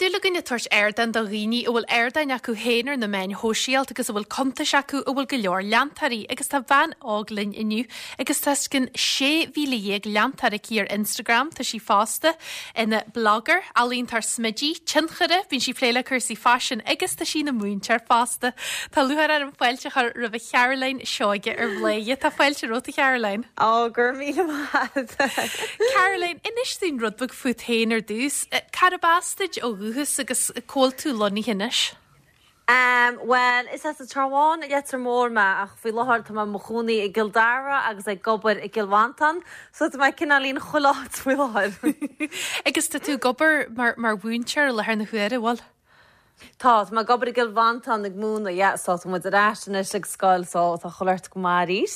dúil againn ag tabhairt ardán do dhaoine a bhfuil ardáin acu féin ar na meáin shóisialta agus a bhfuil cuntais acu a bhfuil go leor leantóirí agus tá bean óg linn inniu agus tá os cionn 16,000 leantóir aici ar Instagram. Tá sí fosta ina blogger, ealaíontóir smididh, tionchaire, bíonn sí ag plé le cúrsaí faisin agus tá sí ina múinteoir fosta. Tá lúcháir orm fáilte a chur roimh Charoline Seoige ar Bhladhaire. Tá fáilte romhat a Charoline. Ó, go raibh míle maith agat. Caroline, inis dúinn rud beag fút féin ar dtús. Cárb as duit ó dhúchas agus cá bhfuil tú lonnaithe anois? Bhuel, is as an Trá Bháin i Leitir Móir mé ach faoi láthair tá mé i mo chónaí i gCill Dara agus ag obair i gCill Mhantáin so tá mé cineáilín chuile áit faoi láthair. Agus tá tú ag obair mar mhúinteoir i láthair na huaire, bhfuil? Tá, tá mé ag obair i gCill Mhantáin ag múineadh, yeah, so tá muid ar ais anois ag scoil so tá chuile shórt go maith arís.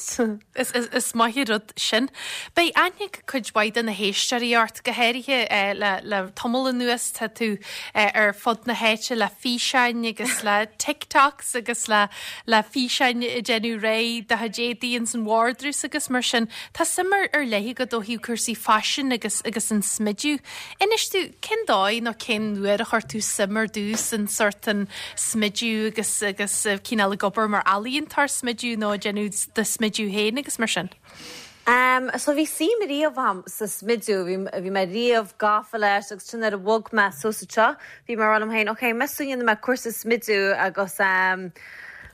Is, is, is maith an rud sin. Beidh aithne ag cuid mhaith de na héisteoirí ort, go háirithe le, le tamall anuas tá tú ar fud na háite le físeáin agus le TikToks agus le, le físeáin ag déanamh réidh do chuid éadaí ins an vardrús agus mar sin. Tá suim ar, ar leith agat ó thaobh cúrsaí faisin agus, agus an smidiú. Inis dúinn, cén dóigh nó cén uair a chuir tú suim ar dtús in sort an smidiú agus agus cineál ag obair mar ealaíontóir smidiú nó ag déanamh do smidiú féin agus mar sin? Em, so bhí suim riamh a'm sa smidiú, bhí, bhí mé riamh gafa leis agus sin nuair a bhog mé suas anseo, bhí mé ag rá liom féin, ok, meas tú an ndéanfaidh mé cúrsa smidiú agus em,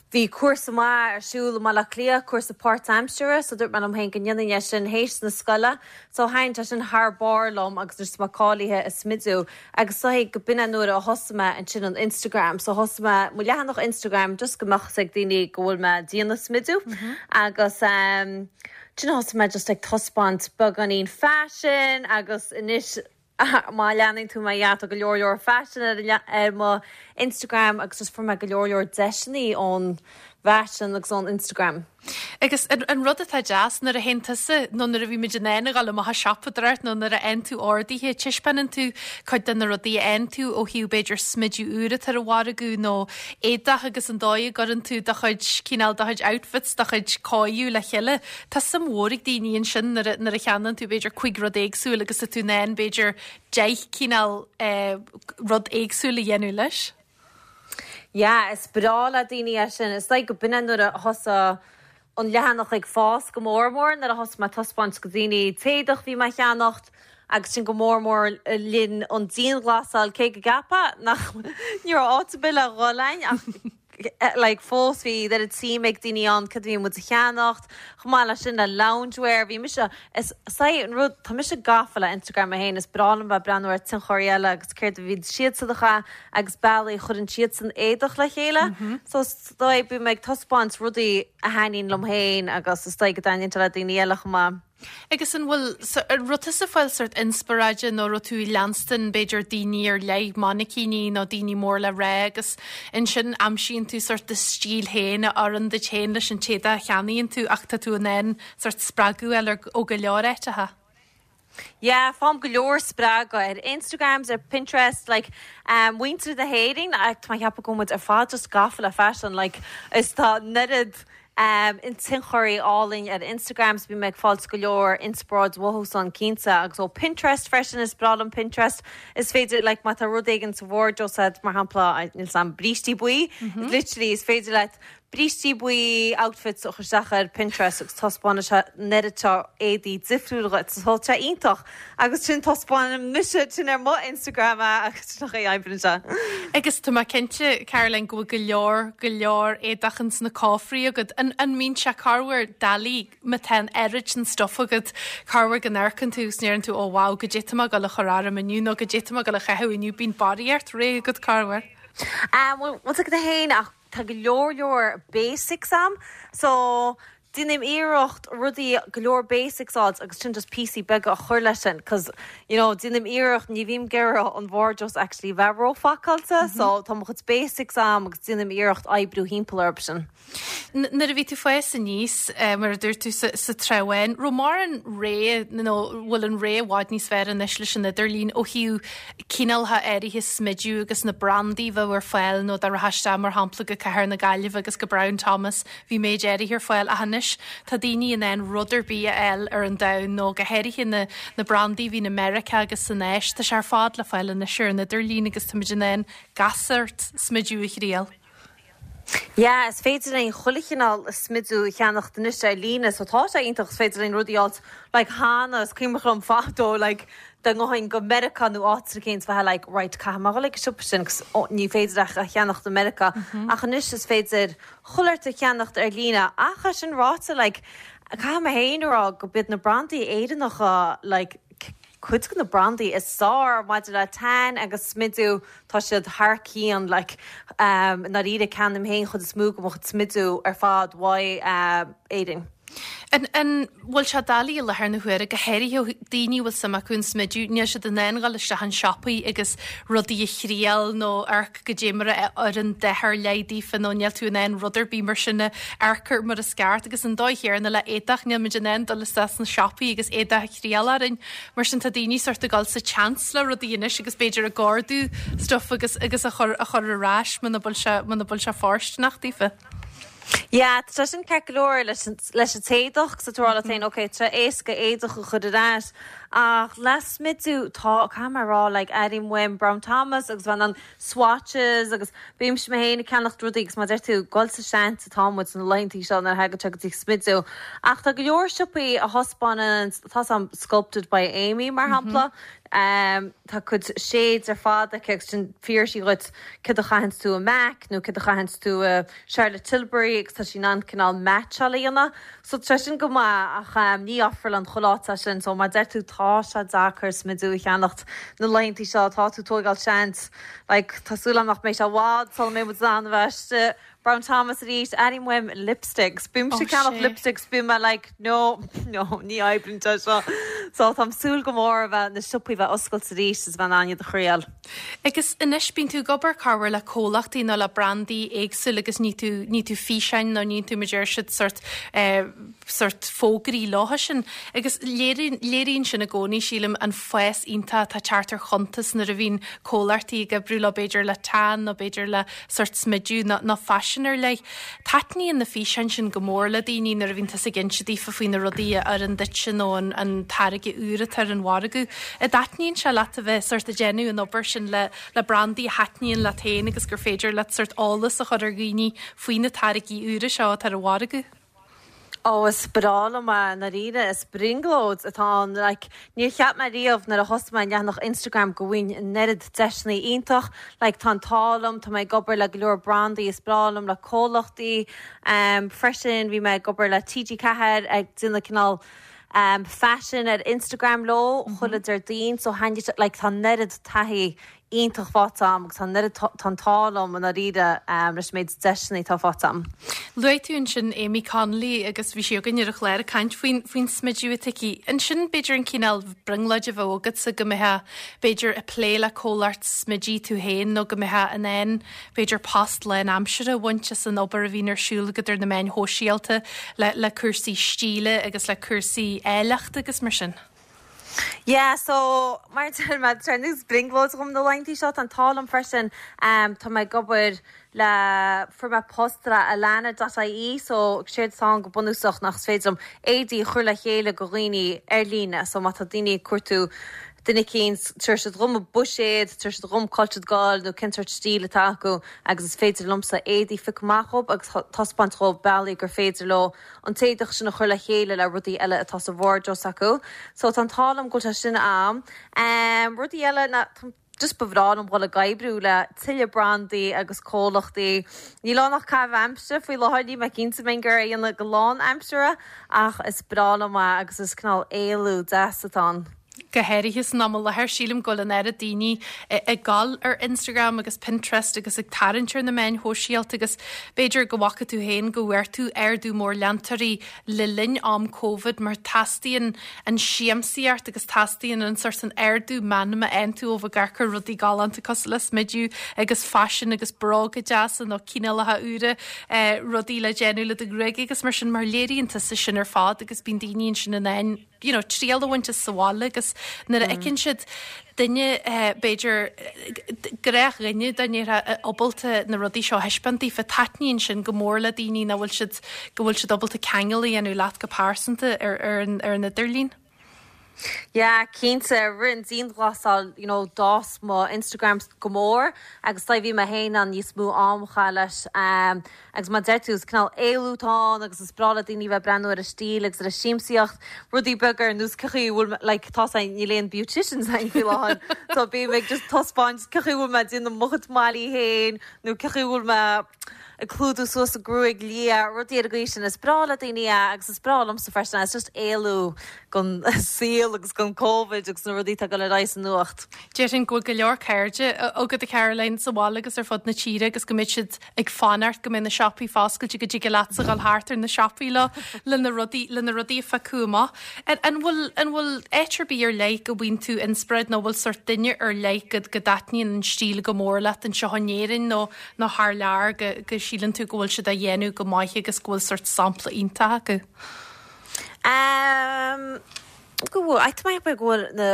bhí cúrsa maith ar siúl i mBaile Átha Cliath, cúrsa páirtaimseartha, so dúirt mé liom féin go ndéanfainn é sin théis na scoile. So thaitin sé sin thar barr liom agus anois tá mé cáilithe i smidiú agus is dóigh go b'in é nuair a thosaigh mé ansin an Instagram. So thosaigh mé mo leathanach Instagram just go mbeadh fhios ag daoine go bhfuil mé ag déanamh smidiú agus ansin thosaigh mé just ag taispeáint beagáinín faisin agus anois má leanann tú mé yeah tá go leor leor faisin ar ar mo Instagram agus just fuair mé go leor leor deiseanna ón bhfaisean agus ón Instagram. Agus an rud atá deas, nuair a théann tusa, nó nuair a bhímid in ann a dhul amach ag siopadóireacht nó nuair a fhaigheann tú orduithe, taispeánann tú cuid de na rudaí a fhaigheann tú ó thaobh b'fhéidir smidiú úr atá ar an mhargadh nó éadach agus an dóigh a gcuireann tú do chuid, cineál do chuid outfits, do chuid cóiriú le chéile. Tá suim mhór ag daoine ansin nuair a, nuair a cheannaíonn tú b'fhéidir cuig rud éagsúil agus tá tú in ann b'fhéidir 10 cineál rud éagsúil a dhéanamh leis. Yeah, is breá le daoine é sin. Is dóigh go b'in é nuair a thosaigh an leathanach ag fás go mór mór, nuair a thosaigh mé ag taispeáint go daoine t-éadach bhí mé a cheannacht agus sin go mór mór le linn an dianghlasáil, cé go gceapfá nach ní raibh áit ar bith le dhul againn ach like fós bhí oiread suim ag daoine ann cad a bhí muid a cheannacht. Chomh maith leis sin le loungewear, bhí mise, is é an rud, tá mise gafa le Instagram mé féin, is breá liom bheith ag breathnú ar tionchairí eile agus céard a bhíonn siadsan a chaitheamh agus bealaí a chuireann siadsan éadach le chéile. So is dóigh bím ag taispeáint rudaí a thaitníonn liom féin agus is dóigh go dtaitníonn sé le daoine eile chomh maith. Agus an bhfuil, an raibh tusa ag fáil sort inspioráide nó raibh tú ag leanstan b'fhéidir daoine ar leith, mainicíní nó daoine mór le rá agus ansin aimsíonn tú sort do stíl féin a oireann duit féin leis an t-éadach a cheannaíonn tú ach tá tú in ann sort spreagadh a fháil ó go leor áiteacha. Yeah, faighim go leor spreagadh ar Instagrams, ar Pinterest, like muintir na hÉireann, tá mé ag ceapadh go bhfuil muid ar fad just gafa le faisean, like is tá an oiread tionchairí álainn ar Instagram so bím ag fáilt go leor inspioráid uathu san cinnte agus ó Pinterest freisin, is breá liom Pinterest, is féidir like má tá rud éigin sa wardrobe agat mar shampla níl 'fhios a'm brístí buí, literally is féidir leat Brístí buí outfits a chur isteach ar Pinterest agus taispeánann sé an oiread seo éadaí difriúla dhuit. So tá sé iontach. Agus sin taispeánaim mise sin ar mo Instagram é agus sin an chaoi a oibríonn sé. Agus tá mé cinnte, Caroline, go bhfuil go leor, go leor éadach ins na cófraí agat. An, an mbíonn sé corruair doiligh má tá an oiread sin stuff agat, corruair go n-amharcann tú agus ndeireann tú, oh wow, goidé tá mé ag dul a chur orm inniu nó goidé tá mé ag dul a chaitheamh inniu, bíonn barraíocht réidh agat corruair. Bhuel, bhfuil 's agat féin ach Tá go leor leor basics a'm so déanaim iarracht rudaí, go leor basics a fháilt agus sin just píosaí beaga a chur leis sin cause you know déanaim iarracht, ní bhím ag iarraidh an wardrobe actually bheith róphacáilte so tá mo chuid basics a'm agus déanaim iarracht oibriú thimpeall orthu sin. Nuair a bhí tú ag fás aníos, mar a dúirt tú, sa Trá Bháin, raibh mórán rogha nó bhfuil an rogha i bhfad níos fearr anois leis an idirlíon ó thaobh cineálacha áirithe smidiú agus na brandaí a bheadh ar fáil nó dá rachfá isteach mar shampla go Cathair na Gaillimhe agus go Brown Thomas bhí méid áirithe ar fáil ach anois. anois tá daoine in ann rud ar bith a fháil ar an domhan nó go háirithe na na brandaí a bhíonn i Meiriceá agus san Áis, tá sé ar fad le fáil anois ar an idirlíon agus táimid in ann gach sórt smidiú a thriail. Yeah, is féidir linn chuile chineál smidiú a cheannacht anois ar líne so tá sé iontach, is féidir linn rudaí a fháilt like cheana, is cuimhneach liom fadó like dá ngabhfainn go Meiriceá nó áit éicint bheifeá like right caithfidh mé dhul ag an siopa sin 'cause ní féidir ach a cheannacht i Meiriceá ach anois is féidir chuile shórt a cheannacht ar líne ach é sin ráite like caithfidh mé féin a rá go b'iad na brandaí Éireannacha like cuid de na brandaí is fearr maidir le tan agus smidiú, tá siad thar cionn like i ndáiríre ceannaím féin chuid is mó de mo chuid smidiú ar fad uaidh Éirinn. An bhfuil sé doiligh i láthair na huaire, go háirithe daoine a bhfuil suim acu in smidiú, níl siad in ann dhul isteach in siopaí agus rudaí a thriail nó amharc goidé mar a oireann dath ar leith daofa nó níl tú in ann rud ar bith mar sin a amharc air mar is ceart agus an dóigh chéanna le éadach, níl muid in ann dul isteach sna siopaí agus éadach a thriail orainn. Mar sin tá daoine sort ag dul sa tseans le rudaí anois agus b'fhéidir ag ordú stuff agus agus a chur a chur ar ais muna bhfuil sé muna bhfuil sé fóirsteanach daofa. Yeah, tá sé sin ceart go leor leis an leis an t-éadach 'cause tá tú ag rá leat féin ok tá sé éasca éadach a chur ar ais ach le smidiú tá caithfidh mé a rá like airím uaim Brown Thomas agus bheith in ann swatches agus bímse mé féin ag ceannacht rudaí agus mar a deir tú dul sa seans atá muid sna laethantaí seo nuair a thagann sé go dtí smidiú. Ach tá go leor siopaí a thaispeánann, tá 's a'm Sculpted by Aimee mar shampla, tá cuid shades ar fad aici agus sin fiafraíonn sí dhuit céard a chaitheanns tú i MAC nó céard a chaitheanns tú i Charlotte Tilbury agus tá sí in ann cineál meaitseáil a dhéanamh. So tá sé sin go maith ach ní ofrálann chuile áit é sin. So mar a deir tú tá sé deacair smidiú a cheannacht na laethantaí seo, tá tú ag tóigeáil seans. Like tá súil agam nach mbeidh sé i bhfad sula mbeidh muid in ann a bheith istigh. Brown Thomas arís, airím uaim lipsticks. Bímse ag ceannach lipsticks, bím mé like no, no, ní oibríonn sé seo. So táim súil go mór a bheith na siopaí a bheith oscailte arís is a bheith in ann iad a thriail. Agus anois bíonn tú ag obair corruair le comhlachtaí nó le brandaí éagsúla agus ní tú, ní tú físeáin nó ní tú mar deir siad sort eh, sort fógraí leo sin. Agus léiríonn, léiríonn sin i gcónaí sílim an fás iontach atá ag teacht ar chuntas nuair a bhíonn comhlachtaí ag oibriú leo b'fhéidir le tan nó b'fhéidir le sort smidiú nó, nó faisean ar leith. Taitníonn na físeáin sin go mór le daoine nuair a bhíonn tusa ag inse daofa faoi na rudaí a oireann duitse nó an, an táirge úr atá ar an mhargadh. An dtaitníonn sé leat a bheith sort ag déanamh an obair sin le, le brandaí a thaitníonn leat féin agus gur féidir leat sort eolas a chur ar dhaoine faoi na táirgí úra seo atá ar an mhargadh? Ó, is breá liom é, i ndáiríre, is brionglóid atá ann. Like, níor cheap mé riamh nuair a thosaigh mé an leathanach Instagram go bhfaighinn an oiread deiseanna iontach. Like, tá an t-ádh liom, tá mé ag obair le go leor brandaí, is breá liom, le comhlachtaí. Um, freisin, bhí mé ag obair le TG4 ag déanamh cineál um, faisin ar Instagram leo, chuile Déardaoin, so thaitnigh sé, like, tá an oiread taithí iontach faighte agam agus tá an oiread, tá an t-ádh liom i ndáiríre leis an méid deiseanna atá faighte agam. Luaigh tú ansin Amy Connolly agus bhí sí againn ar an chlár ag caint faoin, faoin smidiú atá aici. Ansin b'fhéidir an cineál brionglóid a bheadh agatsa go mbeifeá b'fhéidir ag plé le comhlacht smididh tú féin nó go mbeifeá in ann b'fhéidir post lánaimseartha a bhaint as an obair a bhíonn ar siúl agat ar na meáin shóisialta le, le cúrsaí stíle agus le cúrsaí áilleachta agus mar sin. Yeah, so mar a deir mé, tá nós brionglóid dhom na laethanta seo, tá an t-ádh liom freisin, tá mé ag obair le, fuair mé post le Alana dot ie, so séard atá ann go bunúsach ná is féidir liom éadaí a chur le chéile go dhaoine ar líne, so má tá daoine ag cuartú duine eicínt, tabharfaidh siad dhom a buiséad, tabharfaidh siad dhom cá bhfuil siad ag goil nó cén sórt stíl atá acu agus is féidir liomsa éadaí a phiocadh amach dhóibh agus taispeáint dhóibh bealaí gur féidir leo an t-éadach sin a chur le chéile le rudaí eile atá sa wardrobe s'acu. So tá an t-ádh liom go bhfuil sé sin a'm. Em, rudaí eile ná, just ba bhreá liom dhul ag oibriú le tuilleadh brandaí agus comhlachtaí. Níl ann ach caitheamh aimsire faoi láthair, níl mé cinnte an mbeinn ag iarraidh é a dhéanamh go lán-aimseartha ach is breá liom é agus is cineál éalú deas atá ann. Go háirithe san am i láthair, sílim go bhfuil an oiread daoine ag dul ar Instagram agus Pinterest agus ag tarraingt ar na meáin shóisialta agus b'fhéidir go bhfaca tú féin go bhfuair tú ardú mór leantóirí le linn am Covid mar teastaíonn an siamsaíocht agus teastaíonn an sórt an ardú meanma a fhaigheann tú ó bheith ag amharc ar rudaí galánta cosúil le smidiú agus faisean agus bróga deasa nó cineálacha úra rudaí le déanamh le do ghruaig agus mar sin mar léiríonn tusa sin ar fad agus bíonn daoine ansin in ann. you know, triail a bhaint as sa bhaile agus nuair a fheiceann siad duine, b'fhéidir, gnáthdhuine dá ndéarfá, ábalta na rudaí seo a thaispeáint daofa, taitníonn sin go mór le daoine nach bhfuil siad, go bhfuil siad ábalta ceangal a dhéanamh leat go pearsanta ar, ar an, ar an idirlíon. Yeah, cinnte, i rith an dianghlasáil, you know, d'fhás mo Instagram go mór agus tá, bhí mé féin in ann níos mó am a chaitheamh leis. Agus mar a deir tú, is cineál éalú atá ann agus is breá le daoine a bheith ag breathnú ar an stíl agus ar an siamsaíocht, rudaí beaga ar nós cén chaoi a bhfuil mé, like, tá's a'inn, níl aon beauticians a'inn faoi láthair, so bím ag just taispeáint cén chaoi a bhfuil mé ag déanamh mo chuid mailí féin nó cén chaoi a bhfuil mé ag clúdú suas an gruaig liath, rudaí ar an gcaoi sin. Is breá le daoine é agus is breá liomsa freisin é, it's just éalú gon saol agus gon Covid agus na rudaí atá ag dul ar aghaidh sa nuacht. Déarfainn go bhfuil go leor cairde agat a Caroline sa bhaile agus ar fud na tíre agus go mbeidh siad ag fanacht go mbeidh na siopaí foscailte go dtig leatsa dhul thart ar na siopaí leo le na rudaí le na rudaí a phiocadh amach. An bhfuil an bhfuil áit ar bith ar leith go bhfaigheann tú inspioráid nó bhfuil sórt duine ar leith go go dtaitníonn an stíl go mór leat anseo in Éirinn nó nó thar lear go go síleann tú go bhfuil siad á dhéanamh go maith agus go bhfuil sórt sampla iontach acu? Ehm go bhfuil, tá mé ag ceapadh go bhfuil na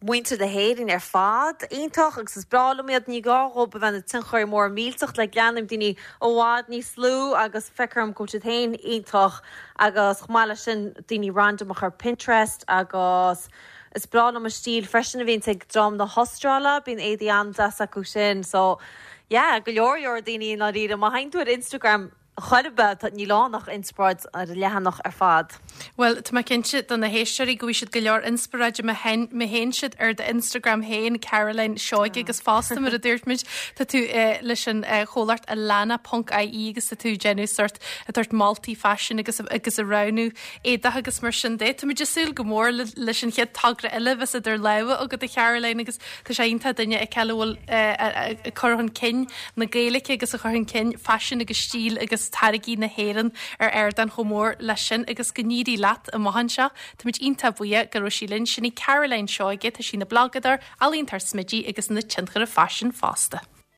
muintir na hÉireann ar fad iontach agus is breá liom iad. Ní gá dhóibh a bheith ina tionchairí móra millteach like leanaim daoine i bhfad níos lú agus feictear dom go bhfuil siad féin iontach agus chomh maith leis sin daoine random ar Pinterest agus is breá liom an stíl freisin a bhíonns ag dream na hAstráile, bíonn éadaí an-deas acu sin so yeah go leor leor daoine i ndáiríre. Má théann tú ar Instagram chor ar bith, níl ann ach inspioráid ar an leathanach ar fad. Bhuel, tá mé cinnte do na héisteoirí go bhfaighidh siad go leor inspioráide má théann siad ar d'Instagram féin, Caroline Seoige, agus fosta mar a dúirt muid, tá tú leis an chomhlacht Alana ponc ie agus tá tú ag déanamh sórt ag tabhairt moltaí faisin agus agus ag roghnú éadach agus mar sin de. Tá muid ag súil go mór leis an chéad togra eile a bheas idir lámha agat a Charoline agus Tá sé iontach duine a fheiceáil a bhfuil ag cur chun cinn na Gaeilge agus ag cur chun cinn faisean agus stíl agus táirgí na hÉireann ar ardán chomh mór leis sin agus go n-éirí leat amach anseo. Táimid iontach buíoch go raibh sí linn. Sin í Caroline Seoige, tá sí ina blagadóir, ealaíontóir smididh agus ina tionchaire faisin fosta.